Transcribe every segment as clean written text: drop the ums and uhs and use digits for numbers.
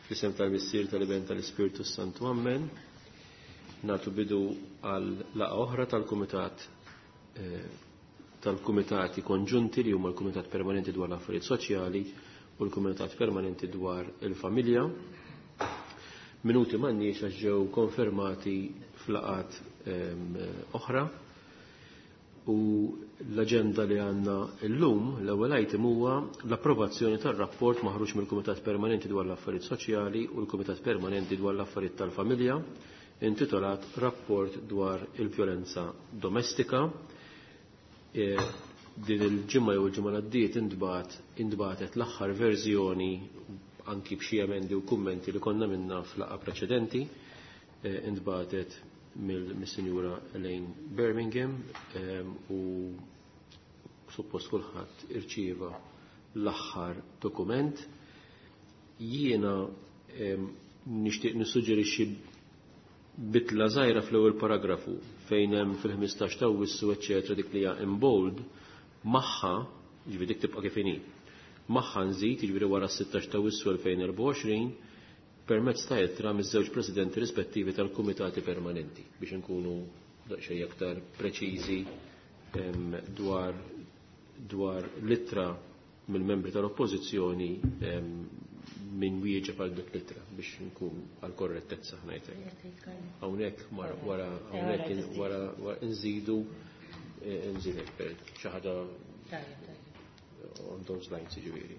Fl-isem tal-Missier tal-Iben tal-Ispirtu Santu Ammen. Natu bidu għal laqa oħra tal-Kumitat eh, tal-Kumitati Konġunti li huma l-Kumitat Permanenti dwar l-Affarijiet Soċjali u l-Kumitat Permanenti dwar il-Familja. Minuti m'għandniex għax ġew konfermati f'laqat ehm, oħra. U l-aġenda li għandna llum, l-ewwel item huwa l-approvazzjoni tar-rapport maħruġ mill-Kumitat Permanenti dwar l-Affarijiet Soċjali u l-Kumitat Permanenti dwar l-Affarijiet tal-Familja, intitolat Rapport dwar il-Vjolenza Domestika. E, din il-ġimgħa jew il-ġimgħa l-għaddiet intbagħat intbagħtet l-aħħar verżjoni anki b'xi emendi u kummenti li konna minna fl-laqgħa preċedenti, e, intbagħtet mill-Sinjura Elaine Birmingham u suppost kulħadd irċieva l-aħħar dokument. Jiena nixtieq nissuġġerixxi bitla żgħira fl-ewwel paragrafu fejn hemm fil-15 ta' Awwissu eċċetera dik li hija in bold magħha, jiġifieri dik tibqa' kif inhi. Magħha nżid, jiġifieri wara s-16 ta' Awwissu 2024, permezz ta' ittra miż-żewġ presidenti rispettivi tal-kumitati permanenti biex inkunu daqsxejn aktar preċiżi dwar dwar l-ittra mill-membri tal-oppożizzjoni min wieġeb għal dik l-ittra biex nkun għal korrettezza ngħidlek. Hawnhekk wara hawnhekk wara nżidu eh, nżidek per xi ħaġa on those lines jiġifieri.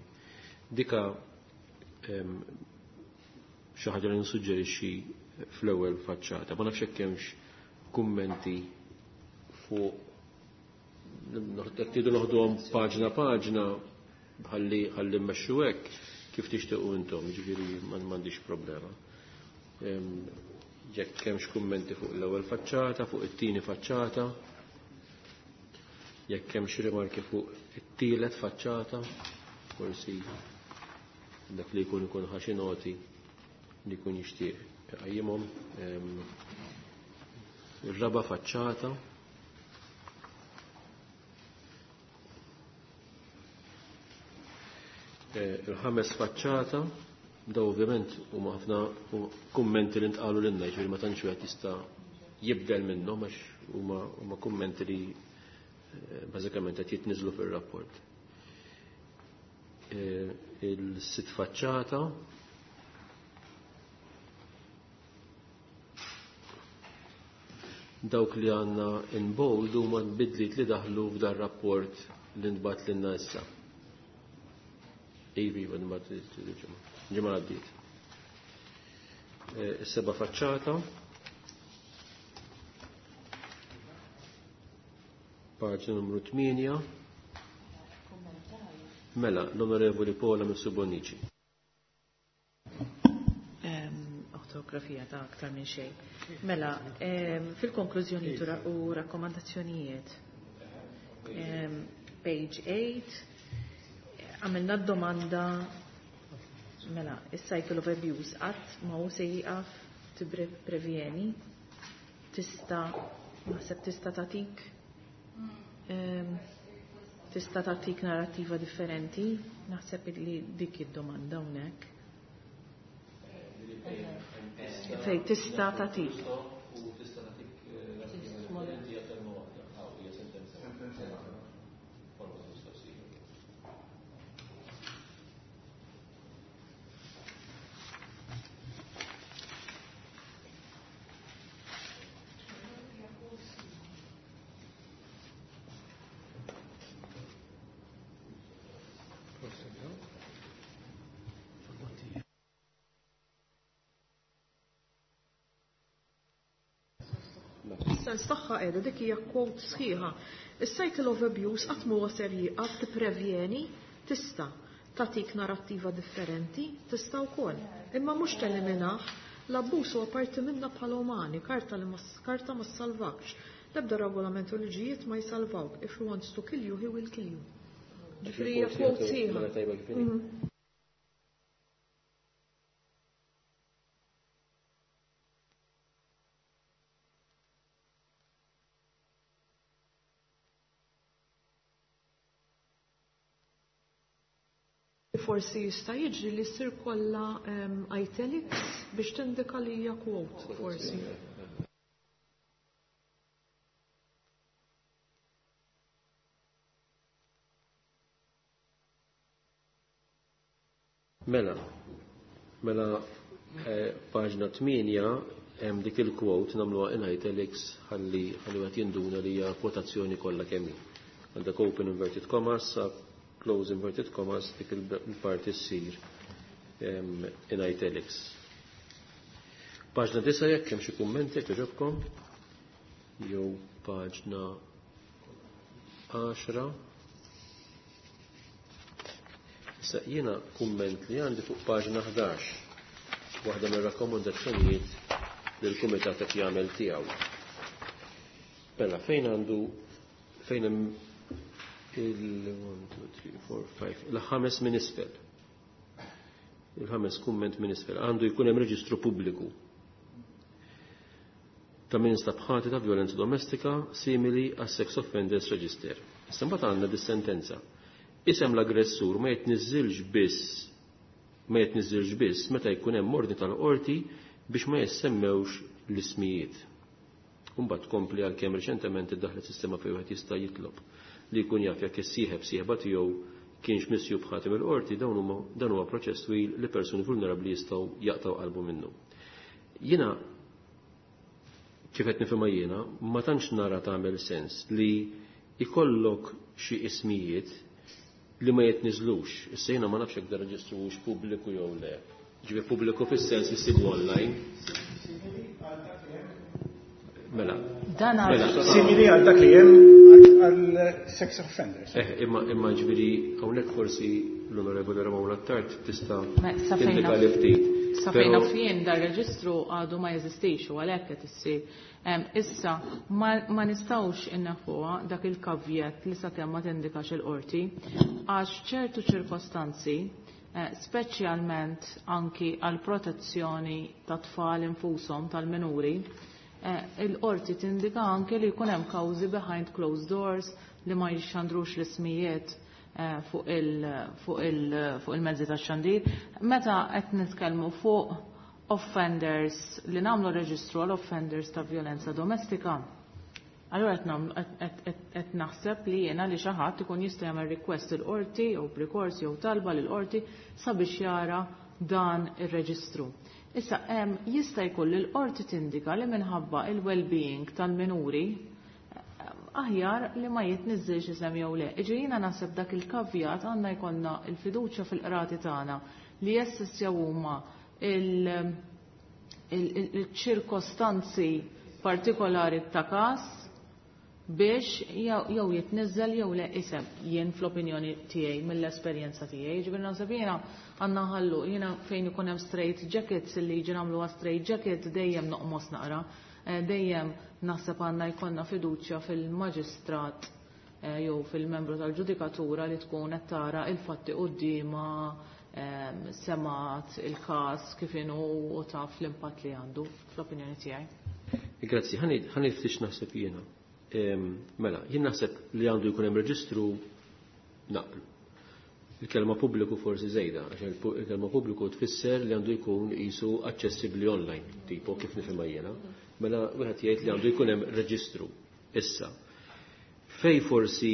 Dika xi ħaġa li nsuġġerixxi fl-ewwel faċċata. Ma nafx hekk hemmx kummenti fuq jekk tridu noħduhom paġna paġna ħalli ħalli mmexxu hekk kif tixtiequ intom, jiġifieri m'għandix problema. Jekk hemmx kummenti fuq l-ewwel faċċata, fuq it-tieni faċċata, jekk hemmx rimarki fuq it-tielet faċċata, forsi dak li jkun ikun ħa xi noti li jkun jixtieq iqajjimhom. Ir-raba' faċċata. Eh, il-ħames faċċata, daw ovvjament huma ħafna kummenti li ntqalu lilna, jiġifieri ma tantx wieħed jista' jibdel minnhom għax huma kummenti li eh, bażikament qed jitniżlu fir-rapport. Eh, il-sitt faċċata dawk li għandna in bold huma bidliet li daħlu f'dar rapport li ntbagħat lilna issa. Ivi, ntbagħat il-ġimgħa. Ġimgħa għaddiet. Eh, is-seba' faċċata. Paġna numru 8. Mela, l-Onorevoli Paola Mifsud Bonnici. Ortografija ta' aktar minn xejn. Mela, fil-konklużjoni u rakkomandazzjonijiet. Page 8, għamilna domanda mela, is-cycle of abuse qatt ma hu se jieqaf tipprevjeni tista' naħseb tista' tagħtik tista' tagħtik narrattiva differenti, naħseb li dik id-domanda hawnhekk. Fej tista' tagħtik. U tista' tagħtik narrattiva differenti hija kelma waħda, aw hija sentenza waħda. Forma ta' mistoqsija. Sens tagħha qiegħda dik hija quote sħiħa. Is-cycle of abuse qatt m'huwa ser jieqaf tipprevjeni tista' tagħtik narrattiva differenti, tista' wkoll. Imma mhux teliminah, l-abbuż huwa parti minna bħala umani, karta li ma karta ma ssalvakx. L-ebda regolament u liġijiet ma jsalvawk. If he wants to kill you, he will kill you. Ġifieri hija quote sħiħa. Mela tajba kif inhi. forsi jista' jiġri li ssir kollha italics biex tindika li hija quote forsi. Mela, mela paġna 8 hemm dik il-quote nagħmluha in italics ħalli ħalli wieħed jinduna li hija kwotazzjoni kollha kemm hi. Għandek open inverted commas, close inverted commas, dik il-parti ssir in italics. Paġna 9 jekk hemm xi kummenti jekk jogħġobkom jew paġna 10. Issa jiena kumment li għandi fuq paġna 11, waħda mir-rakkomandazzjonijiet li l-kumitat qed jagħmel tiegħu. Mela fejn għandu fejn hemm il-1, 2, 3, 4, 5, il-ħames minn isfel. Il-ħames kumment minn isfel. Għandu jkun hemm reġistru pubbliku ta' min instab ħati ta' violenza domestika simili għas sex offenders register. Issa mbagħad għandna dis-sentenza. Isem l-aggressur ma jitniżżilx biss ma jitniżżilx biss meta jkun hemm ordni tal-qorti biex ma jissemmewx l-ismijiet. Imbagħad tkompli għalkemm reċentement iddaħlet sistema fejn wieħed jista' jitlob li jkun jaf jekk is-sieħeb sieħba tiegħu kienx misjub ħati mill-qorti dan huwa proċess twil li persuni vulnerabbli jistgħu jaqtgħu qalbu minnu. Jiena kif qed nifhimha jiena, ma tantx nara tagħmel sens li jkollok xi ismijiet li ma jitniżlux. Issa jiena ma nafx jekk dan reġistru hux pubbliku jew le. Ġifieri pubbliku fis-sens li ssibu online. Mela. Dan Mela. Simili għal dak li hemm għal sex offenders. Imma ġifieri hawnhekk forsi l-Onorevoli Ramona Attard tista' Sa fejn tindika naf- li ftit. Sa fejn Però naf jien dar reġistru għadu ma jeżistix u għalhekk qed issir. Issa ma nistgħux inneħħuha dak il-kavjet li sakemm ma tindikax il-qorti għax ċertu ċirkostanzi, speċjalment anki għal protezzjoni ta' tfal infushom tal-minuri, il-qorti tindika anki li jkun hemm kawżi behind closed doors li ma jixxandrux l-ismijiet fuq il-mezzi tax-xandir. Meta qed nitkellmu fuq offenders li nagħmlu reġistru għal offenders ta' violenza domestika, allura qed naħseb li jiena li xi ħadd ikun jista' jagħmel request il-qorti jew b'rikors jew talba lill-qorti sabiex jara dan ir-reġistru. Issa jista' jkun li l-qorti tindika li minħabba il-well-being tal-minuri aħjar li ma jitniżżilx isem jew le. Iġi jiena naħseb dak il-kavjat għandna jkollna l-fiduċja fil-qrati tagħna li jessissjaw huma il-ċirkostanzi partikolari ta' każ biex jew jitniżżel jew le isem jien fl-opinjoni tiegħi mill-esperjenza tiegħi. Ġifieri naħseb jiena għandna nħallu jiena fejn ikun hemm straight jackets li jiġi nagħmluha straight jacket dejjem noqmos naqra. Dejjem naħseb għandna jkollna fiduċja fil-maġistrat jew fil-membru tal-ġudikatura li tkun qed tara il-fatti quddiemha, semat il-każ kif inhu u taf l-impatt li għandu fl-opinjoni tiegħi. Grazzi, ħani ftit naħseb jiena. Mela, jien naħseb li għandu jkun hemm reġistru naqblu. Il-kelma pubbliku forsi żejda, għax il-kelma pubbliku tfisser li għandu jkun qisu aċċessibbli online, tipo kif nifhimha jiena. Mela wieħed jgħid li għandu jkun hemm reġistru. Issa, fej forsi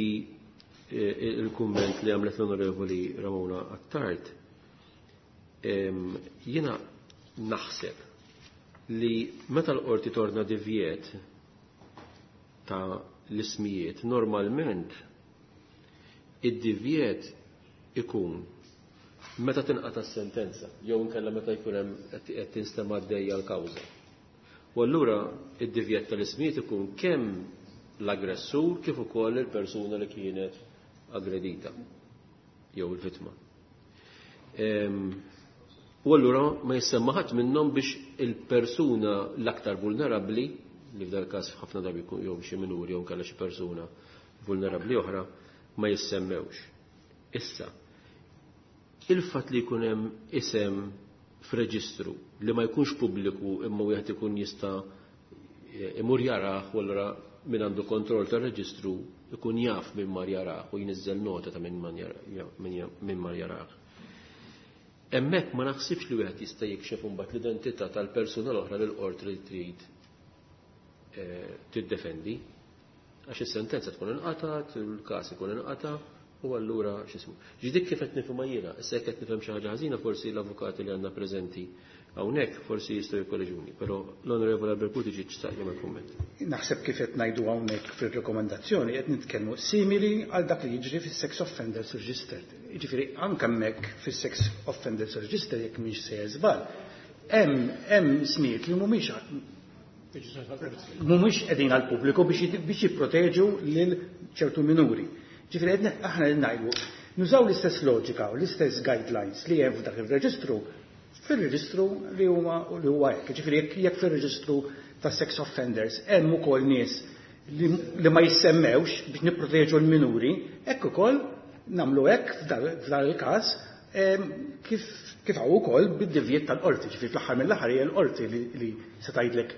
il-kumment li għamlet l-Onorevoli Ramona Attard, jiena naħseb li meta l-qorti torna divjet ta' l-ismijiet, normalment id-divjet ikun meta tinqata' s-sentenza, jew inkella meta jkun hemm qed tinstema' għaddejja l-kawża. U allura id-divjet tal-ismijiet ikun kemm l-aggressur kif ukoll il-persuna li kienet aggredita jew il-vittma. U allura ma jissemma ħadd minnhom biex il-persuna l-aktar vulnerabbli, li f'dal każ ħafna drabi jkun jew xi minuri jew inkella xi persuna vulnerabbli oħra, ma jissemmewx. Issa, il-fatt li jkun hemm isem f'reġistru li ma jkunx pubbliku imma wieħed ikun jista' imur jarah u allura min għandu kontroll tar-reġistru ikun jaf min mar jarah u jniżżel nota ta' min mar jarah. Hemmhekk ma naħsibx li wieħed jista' jikxef imbagħad l-identità tal-persuna l-oħra lil qorti li trid tiddefendi. Għax is-sentenza tkun inqatgħet, il-każ ikun inqata' u allura x'ismu. Ġidik kif qed nifhimha jiena, issa jekk qed nifhem xi ħaġa ħażina forsi l-avukati li għandna preżenti hawnhekk forsi jistgħu jikkoreġuni, però l-Onorevole Albert Buttigieg xtaq jagħmel kumment. Naħseb kif qed ngħidu hawnhekk fir-rekomendazzjoni qed nitkellmu simili għal dak li jiġri fis-Sex Offenders Register. Jiġifieri anke hemmhekk fis-Sex Offenders Register jekk mhix sejjer żball, hemm ismijiet li mhumiex qegħdin għall-pubbliku biex jipproteġu lil ċertu minuri. Ġifieri qed aħna qed ngħidu nużaw l-istess loġika u l-istess guidelines li hemm f'dak ir-reġistru fir-reġistru li huma li huwa hekk. Ġifieri jekk fir-reġistru ta' sex offenders hemm ukoll nies li ma jissemmewx biex nipproteġu l-minuri, hekk ukoll nagħmlu hekk f'dan il-każ kif hawn ukoll bid-divjiet tal-qorti. Ġifieri fl-aħħar mill-aħħar hija l-qorti li se tgħidlek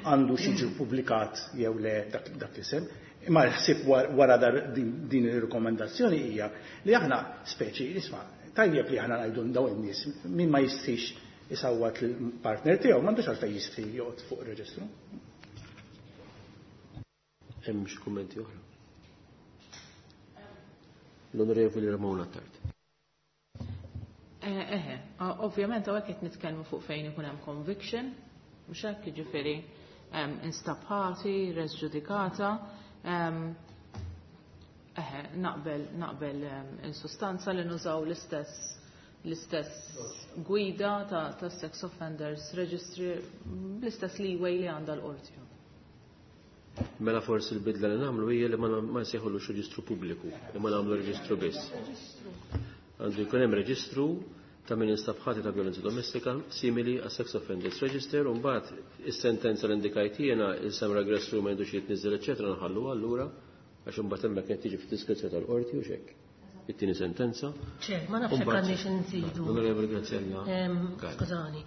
għandu xi pubblikat jew le dak l-isem. Imma l-ħsieb wara din ir-rekomendazzjoni hija li aħna speċi isma' tajjeb li aħna ngħidu dawn in-nies min ma jistix isawwat l-partner tiegħu m'għandux għalfejn jistri joqgħod fuq ir-reġistru. Hemm xi kummenti oħra? L-Onorevoli Ramona Attard. Eħe, ovvjament hawnhekk qed nitkellmu fuq fejn ikun hemm conviction, mhux hekk, jiġifieri instab ħati, res ġudikata. Eħe, naqbel in sustanza li nużaw l-istess gwida ta' sex offenders registry bl-istess leeway li għandha l-qorti. Mela forsi l-bidla li nagħmlu hija li ma nsejħulux reġistru pubbliku, imma nagħmlu reġistru biss. Għandu jkun hemm reġistru ta' min instab ħati ta' violenza domestika simili għas Sex Offenders Register, u mbagħad is-sentenza li indikajt jiena isem l-aggressur ma jindux jitniżżel eċċetera nħallu allura għax imbagħad hemmhekk qed tiġi fid-diskrezzjoni tal-qorti u x'hekk. It-tieni sentenza. Ċe, ma nafx hekk għandniex inżidu. Onorevoli Graziella. Skużani.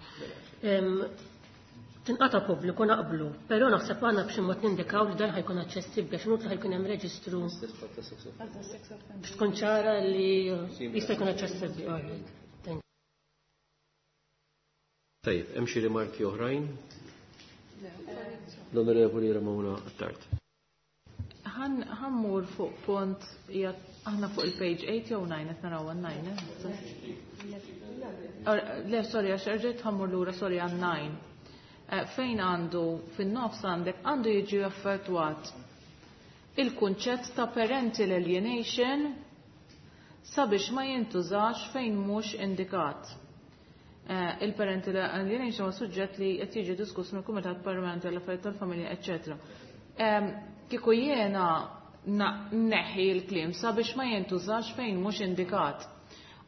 Tinqata' pubbliku naqblu, però naħseb għandna b'xi mod nindikaw li dan ħajkun aċċessibbli għax inutli ħajkun hemm reġistru biex tkun ċara li jista' jkun aċċessibbli. Tajjeb, hemm xi rimarki oħrajn? L-Onorevoli Ramona Attard. Ħammur fuq punt, aħna fuq il-page 8 jew 9, qed naraw għan 9, eh? Le, sorry, għax erġejt ħammur lura, sorry, għan 9. Fejn għandu, fin-nofs għandek, għandu jiġi effettwat il-kunċett ta' parental alienation sabiex ma jintużax fejn mhux indikat. Il-parental alienation huwa suġġett li qed jiġi diskuss mill-Kumitat Permanenti għall-Affarijiet tal-Familja, eċċetera. Kieku jiena neħi l-kliem sabiex ma jintużax fejn mhux indikat.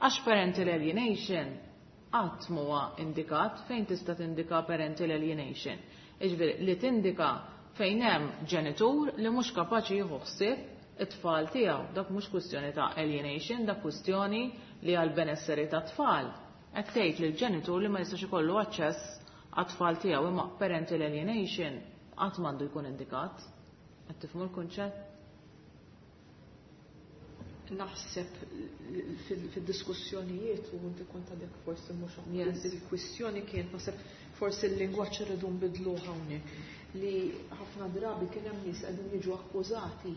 Għax parental alienation qatt huwa indikat fejn tista' tindika parental alienation. Jiġifieri li tindika fejn hemm ġenitur li mhux kapaċi jieħu ħsieb it-tfal tiegħu. Dak mhux kwistjoni ta' alienation, dak kwistjoni li għal benesseri ta' tfal. Qed tgħid lil ġenitur li ma jistax ikollu aċċess għat-tfal tiegħu, imma parental alienation qatt m'għandu jkun indikat. Qed tifhmu l-kunċett? Naħseb fid-diskussjonijiet u inti kont għadek forsi mhux il-kwistjoni kienet naħseb forsi l-lingwaġġ irridu nbidluh hawnhekk li ħafna drabi kien hemm nies qegħdin jiġu akkużati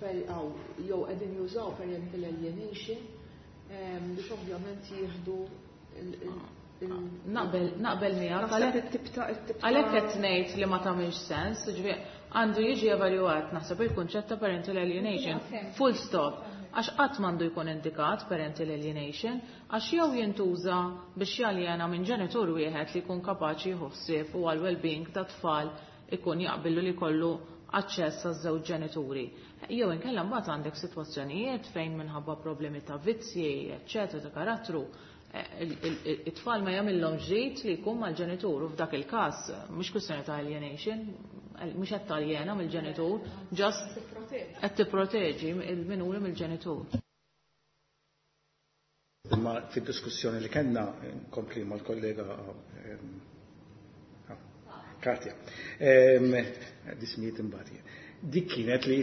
jew qegħdin jużaw parental alienation biex ovvjament jieħdu Naqbel miegħek. Naħseb it-tip ta' Għalhekk qed ngħid li ma tagħmilx sens, ġifieri għandu jiġi evalwat naħseb il-kunċett ta' parental alienation. Full stop. Għax qatt m'għandu jkun indikat parental alienation, għax jew jintuża biex jaljena minn ġenitur wieħed li jkun kapaċi jieħu ħsieb u għal well-being ta' tfal ikun jaqbillu li jkollu aċċess għaż-żewġ ġenituri. Jew inkella mbagħad għandek sitwazzjonijiet fejn minħabba problemi ta' vizzji, eċċetera, ta' karattru, it-tfal ma jagħmilhom ġid li jkun mal-ġenitur u f'dak il-każ mhux kwistjoni ta' alienation, mhux qed taljena mill-ġenitur, just qed tipproteġi il-minuri mill-ġenitur. Imma fid-diskussjoni li kellna nkompli mal-kollega Katja. Dismijiet imbagħad. Dik kienet li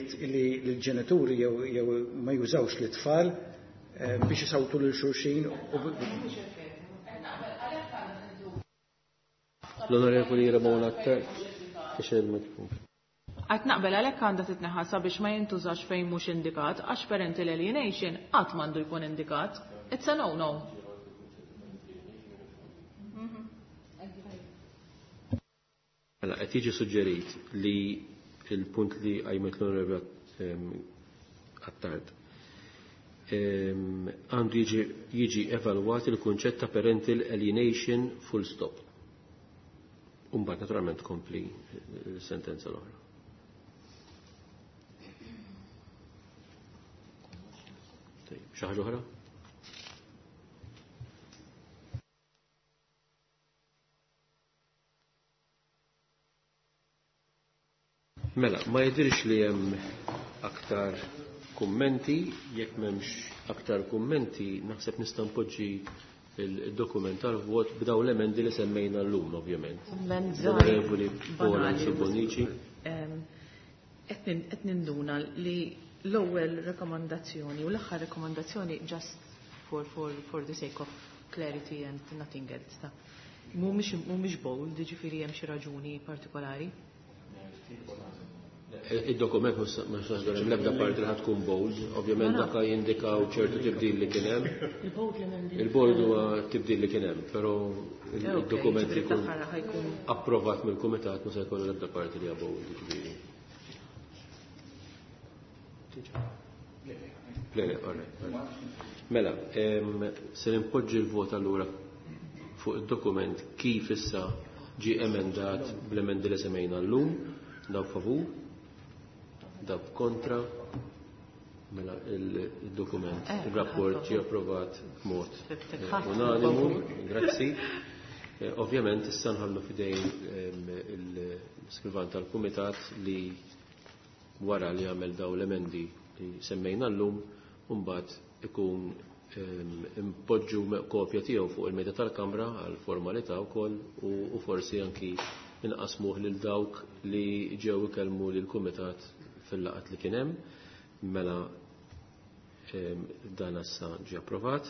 l-ġenituri jew ma jużawx l-tfal biex isawtu lil xulxin u L-Onorevoli Ramona Attard, ix il-mikrofon. Qed naqbel għalhekk għandha titneħħa sabiex ma jintużax fejn mhux indikat għax parental alienation qatt m'għandu jkun indikat. It's a no-no. Mela, qed jiġi suġġerit li il-punt li qajmet l-Onorevoli Attard għandu jiġi evalwat il-kunċett ta' parental alienation full stop. Umbagħad naturalment tkompli l-sentenza l-oħra. Tajjeb, xi ħaġa oħra? Mela, ma jidhirx li hemm aktar kummenti, jekk m'hemmx aktar kummenti, naħseb nista' npoġġi il-dokument tal-vot b'daw l-emendi li semmejna llum, ovvjament. Kumment żgħir, L-Onorevoli Paola banali, Bonnici. Qed ninduna li l-ewwel rekomandazzjoni u l-aħħar rekomandazzjoni just for the sake of clarity and nothing else. Ta' mhumiex bold, jiġifieri hemm xi raġuni partikolari. Il-dokument mhux saħdor hemm l-ebda parti li ħad tkun bold, ovvjament dak jindikaw ċertu tibdil li kien hemm. Il-bold li m'hemm. Il-bold huwa tibdil li kien hemm, però il-dokument li Ġifieri jkun l-aħħar ħajkun approvat mill-kumitat mhux se jkollu l-ebda parti li hija bold, ġifieri. Le, le, all right, all right. Mela, se nimpoġġi l-vot allura fuq id-dokument kif issa ġie emendat bl-emendi li semmejna llum, dawk favur, dawk kontra, mela il-dokument, il-rapport ġie approvat b'mod unanimu, grazzi. Ovvjament issa nħallu fidejn il-skrivan tal-kumitat li wara li għamel daw l-emendi li semmejna llum, mbagħad ikun impoġġu kopja tiegħu fuq il-mejda tal-Kamra għal formalità wkoll u forsi anki inqasmuh lil dawk li ġew ikellmu lil kumitat fil-laqgħat li kien hemm. Mela dan issa ġie approvat.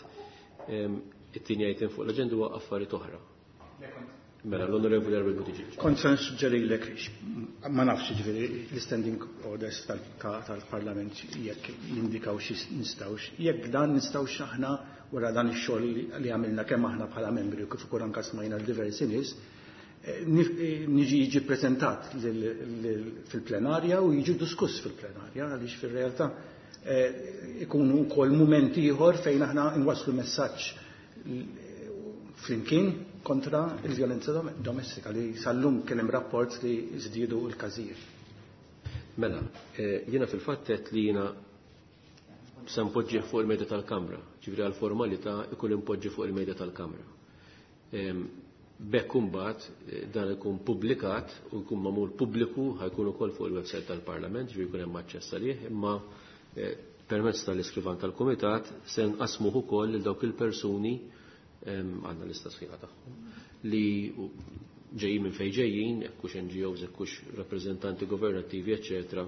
It-tieni item fuq l-aġenda huwa affarijiet oħra. Mela l-Onorevoli Albert Buttigieg. Kont se nissuġġerilek, ma nafx ġifieri l-standing orders tal-Parlament jekk jindikaw xi nistgħux, jekk dan nistgħux aħna wara dan ix-xogħol li għamilna kemm aħna bħala membri u kif ukoll anke smajna l-diversi nies, niġi jiġi ppreżentat fil-plenarja u jiġi diskuss fil-plenarja, għaliex fir-realtà ikunu wkoll mument ieħor fejn aħna nwasslu messaġġ flimkien kontra il-vjolenza domestika li sal-lum kien hemm rapport li żdiedu l-każijiet. Mela, jiena fil-fatt qed li jiena se npoġġih fuq il-mejda tal-Kamra, ġifieri għall-formalità ikun impoġġi fuq il-mejda tal-Kamra. B'hekk imbagħad dan ikun pubblikat u jkun magħmul pubbliku, ħajkun ukoll fuq il-website tal-Parlament, ġifieri jkun hemm aċċess għalih, imma permezz tal-iskrivan tal-Kumitat se nqasmuh ukoll lil dawk il-persuni, għandna lista sħiħa tagħhom, li ġejjin minn fejn ġejjin, jekk hux N G Os, jekk hux rappreżentanti governattivi, eċċetera,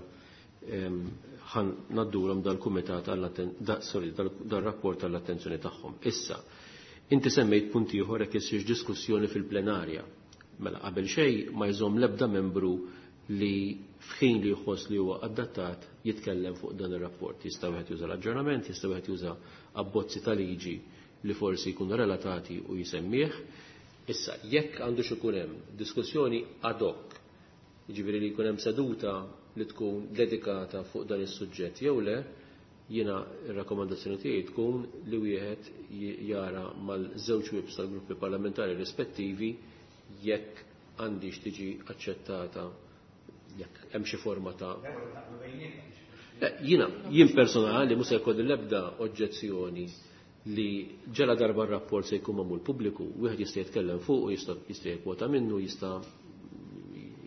ħan naddulhom dal-kumitat għall-atten-, da, sorry, dal, dal-rapport għall-attenzjoni tagħhom. Issa, inti semmejt punt ieħor jekk issirx diskussjoni fil-plenarja. Mela qabel xejn ma jżomm l-ebda membru li f'ħin li jħoss li huwa adattat jitkellem fuq dan ir-rapport. Jista' wieħed juża l-aġġornament, jista' wieħed juża abbozzi ta' liġi li forsi jkunu relatati u jisemmih. Issa, jekk għandu xi jkun hemm diskussjoni ad hoc, jiġifieri li jkun hemm seduta li tkun dedikata fuq dan is-suġġett jew le, jiena r-rakkomandazzjoni tiegħi tkun li wieħed jara mal-żewġ whips tal-gruppi parlamentari rispettivi jekk għandix tiġi aċċettata, jekk hemm xi forma ta' Le, jien personali mhux se jkolli l-ebda oġġezzjoni li ġela darba r-rapport se jkun magħmul pubbliku, wieħed jista' jitkellem fuq, jista' jikkwota minnu, jista'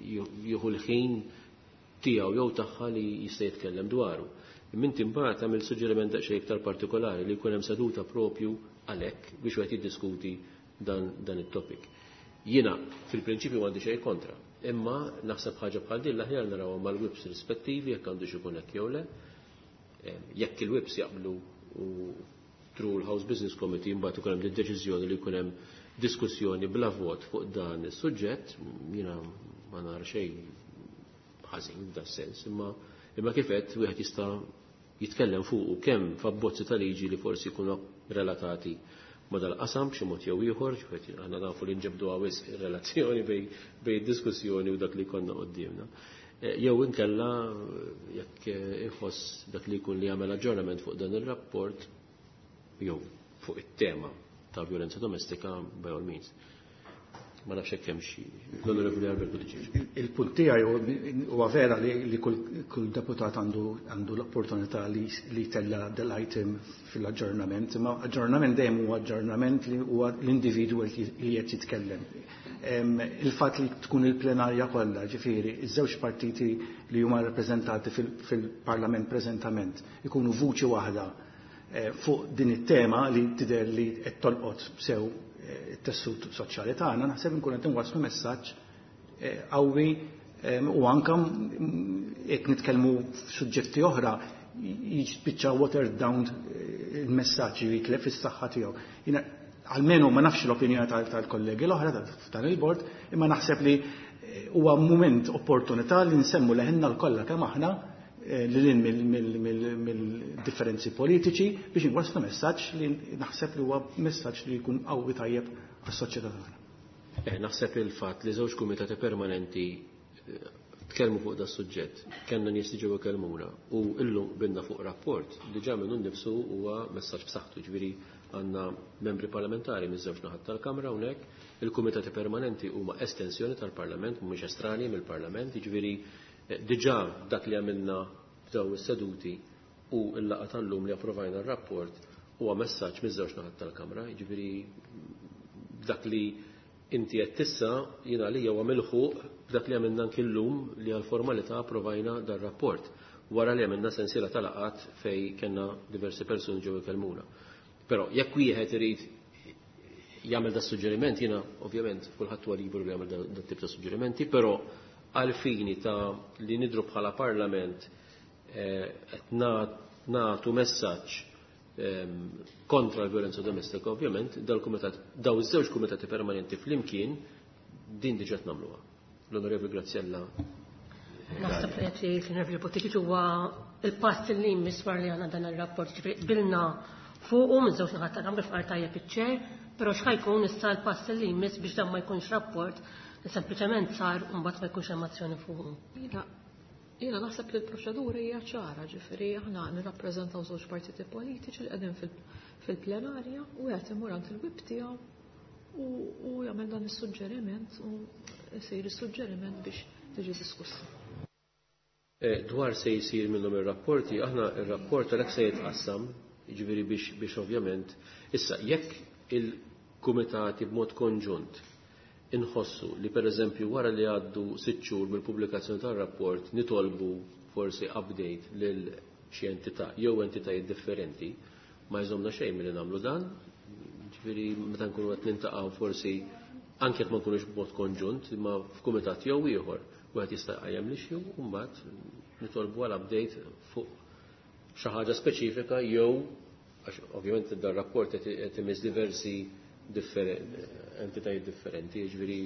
jieħu l-ħin tiegħu jew tagħha li jista' jitkellem dwaru. Imma inti mbagħad tagħmel suġġeriment daqsxejn iktar partikolari li jkun hemm seduta propju għalhekk biex wieħed jiddiskuti dan it-topic. Jiena fil-prinċipju m'għandi xejn kontra, imma naħseb ħaġa bħal din l-aħjar narawha mal-whips rispettivi jekk għandu xi jkun hekk jew le. Jekk il-whips jaqblu u through l-House Business Committee mbagħad ikun hemm deċiżjoni li jkun hemm diskussjoni bla vot fuq dan is-suġġett, jiena ma nara xejn ħażin f'dan sens, imma kif qed wieħed jista' jitkellem fuq kemm f'abbozzi ta' liġi li forsi jkunu relatati ma dal-qasam b'xi mod jew ieħor, aħna nafu li nġebdu wisq ir-relazzjoni bejn diskussjoni u dak li jkollna quddiemna. Jew inkella jekk iħoss dak li jkun li jagħmel aġġornament fuq dan ir-rapport jew fuq it-tema ta' violenza domestika by all means. Ma nafx hekk hemm xi l-Onorevoli Albert Buttigieg. Il-punt tiegħi huwa vera li kull deputat għandu l-opportunità li jtella' dal-item fil-aġġornament, imma aġġornament dejjem huwa aġġornament li huwa l-individwu li qed jitkellem. Il-fatt li tkun il-plenarja kollha, ġifieri, iż-żewġ partiti li huma rappreżentati fil-Parlament preżentament ikunu vuċi waħda fuq din it-tema li tidher li qed tolqot sew it-tessut soċjali tagħna, naħseb inkun qed inwasslu messaġġ qawwi u anke jekk nitkellmu f'suġġetti oħra jispiċċa watered down il-messaġġ jitlef is-saħħa tiegħu. Jiena almenu ma nafx l-opinjoni tal-kollegi l-oħra f'dan il-bord, imma naħseb li huwa mument opportunità li nsemmu leħinna l-kollha kemm aħna lil mill-differenzi politiċi biex inwasslu messaġġ li naħseb li huwa messaġġ li jkun qawwi tajjeb għas-soċjetà tagħna. Naħseb il-fatt li żewġ kumitati permanenti tkellmu fuq da suġġett, kellna nies li ġew ikellmuna u illum binna fuq rapport diġà minnu nnifsu huwa messaġġ b'saħħtu, ġifieri għandna membri parlamentari miż-żewġ naħat tal-Kamra hawnhekk, il-kumitati permanenti huma estensjoni tal-Parlament, mhumiex estrani mill-Parlament, jiġifieri diġà dak li għamilna f'daw is-seduti u l-laqgħa tal-lum li approvajna r-rapport huwa messaġġ miż-żewġ naħat tal-Kamra, jiġifieri dak li inti qed tissa jiena għalija huwa milħuq b'dak li għamilna anki llum li għall-formalità approvajna dar-rapport wara li għamilna sensiela ta' laqgħat fejn kellna diversi persuni ġew ikellmuna. Però jekk wieħed irid jagħmel da suġġeriment, jiena ovvjament kulħadd huwa liberu li jagħmel da tip ta' suġġerimenti, però għal fini ta' li nidru bħala parlament qed nagħtu messaġġ kontra l-violenza domestika, ovvjament, dal-kumitat, daw iż-żewġ kumitati permanenti flimkien din diġà nagħmluha. L-Onorevoli Graziella. Naħseb li qed jgħid l-Onorevoli Buttigieg huwa il-pass li jmiss wara li għandna dan ir-rapport, ġifieri qbilna fuqu minn żewġ naħat tal-Kamra f'qar tajjeb iċ-ċer, però x'ħajkun issa l-pass li jmiss biex dan ma jkunx rapport li sempliċement sar u mbagħad ma jkunx hemm azzjoni fuqu. Jiena naħseb li l-proċedura hija ċara, ġifieri aħna nirrappreżentaw żewġ partiti politiċi li qegħdin fil-plenarja u qed imur għand il-whip tiegħu u jagħmel dan is-suġġeriment u jsir is-suġġeriment biex tiġi diskussa. Dwar se jsir minnhom ir-rapporti, aħna ir-rapport għalhekk se jitqassam, jiġifieri biex ovvjament issa jekk il-kumitati b'mod konġunt inħossu li per eżempju wara li għaddu 6 xhur mill-pubblikazzjoni tar-rapport nitolbu forsi update lil xi entità jew entitajiet differenti, ma jżomna xejn milli nagħmlu dan, ġifieri meta nkunu qed nintaqgħu forsi anke jekk ma nkunux b'mod konġunt, imma f'kumitat jew ieħor wieħed jista' jqajjem l-issue u mbagħad nitolbu għal update fuq xi ħaġa speċifika jew għax ovvjament dan rapport qed imiss diversi entitajiet differenti, jiġifieri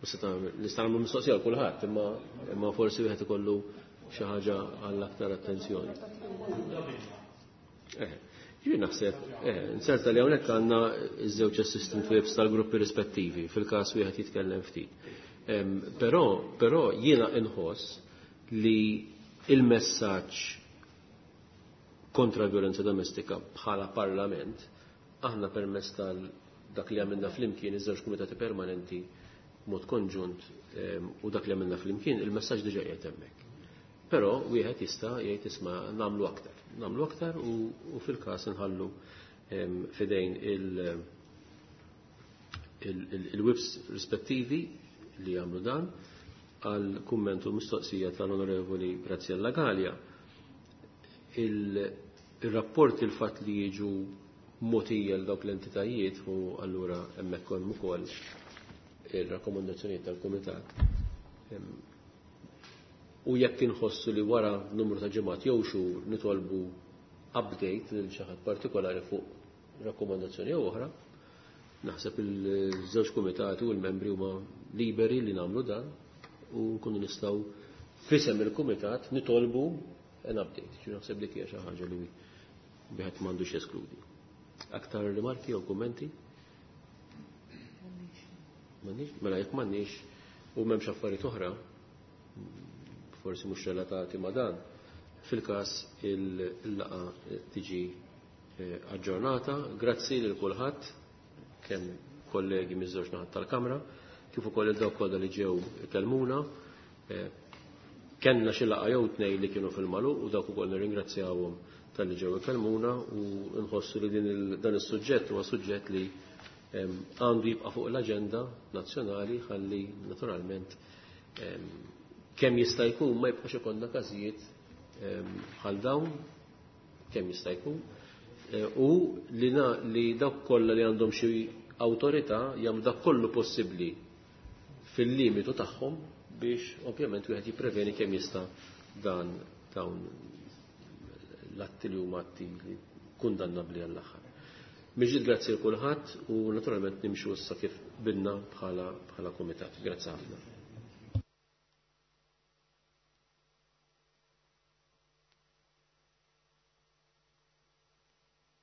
nista' nagħmlu mistoqsija għal kulħadd, imma forsi wieħed ikollu xi ħaġa għall aktar attenzjoni. Jien naħseb, inserta li hawnhekk għandna ż-żewġ assistant whips tal-gruppi rispettivi fil-każ wieħed jitkellem ftit. Però jiena inħoss li il-messaġġ kontra l-violenza domestika bħala parlament aħna permezz tal dak li għamilna flimkien iż-żewġ kumitati permanenti mod konġunt u dak li għamilna flimkien il-messaġġ diġà qiegħed hemmhekk. Però wieħed jista' jgħid isma' nagħmlu aktar, nagħmlu aktar u fil-każ inħallu fidejn il-whips rispettivi li jagħmlu dan għal kumment u mistoqsija tal-Onorevoli Graziella Galea. Il-rapport il-fatt li jiġu motija l dawk l-entitajiet u allura hemmhekk hemm ukoll ir-rakkomandazzjonijiet tal-Kumitat. U jekk inħossu li wara numru ta' ġimgħat jew xhur nitolbu update lil xi ħadd partikolari fuq rakkomandazzjoni jew oħra, naħseb il-żewġ kumitati u l-membri huma liberi li nagħmlu dan u nkunu nistgħu f'isem il-kumitat nitolbu an update. Ġi naħseb dik hija xi ħaġa li wieħed m'għandux jeskludi. Aktar rimarki jew kummenti? M'għandniex? Mela jekk m'għandniex u m'hemmx affarijiet oħra, forsi mhux relatati ma' dan, fil-każ il-laqgħa tiġi aġġornata. Grazzi lil kulħadd, kemm kollegi miż-żewġ naħat tal-Kamra, kif ukoll il dawk kollha li ġew ikellmuna. Kellna xi laqgħa jew tnejn li kienu fil-magħluq u dawk ukoll nirringrazzjawhom talli ġew ikellmuna u nħossu li dan is-suġġett huwa suġġett li għandu jibqa' fuq l-aġenda nazzjonali ħalli naturalment kemm jista' jkun ma jibqax ikollna każijiet bħal dawn kemm jista' jkun u li dawk kollha li għandhom xi awtorità jagħmlu dak kollu possibbli fil-limitu tagħhom biex ovvjament wieħed jippreveni kemm jista' dan dawn l-atti li huma atti li kundannabbli għall-aħħar. Mill-ġdid grazzi lil kulħadd u naturalment nimxu issa kif bidna bħala kumitat. Grazzi ħafna.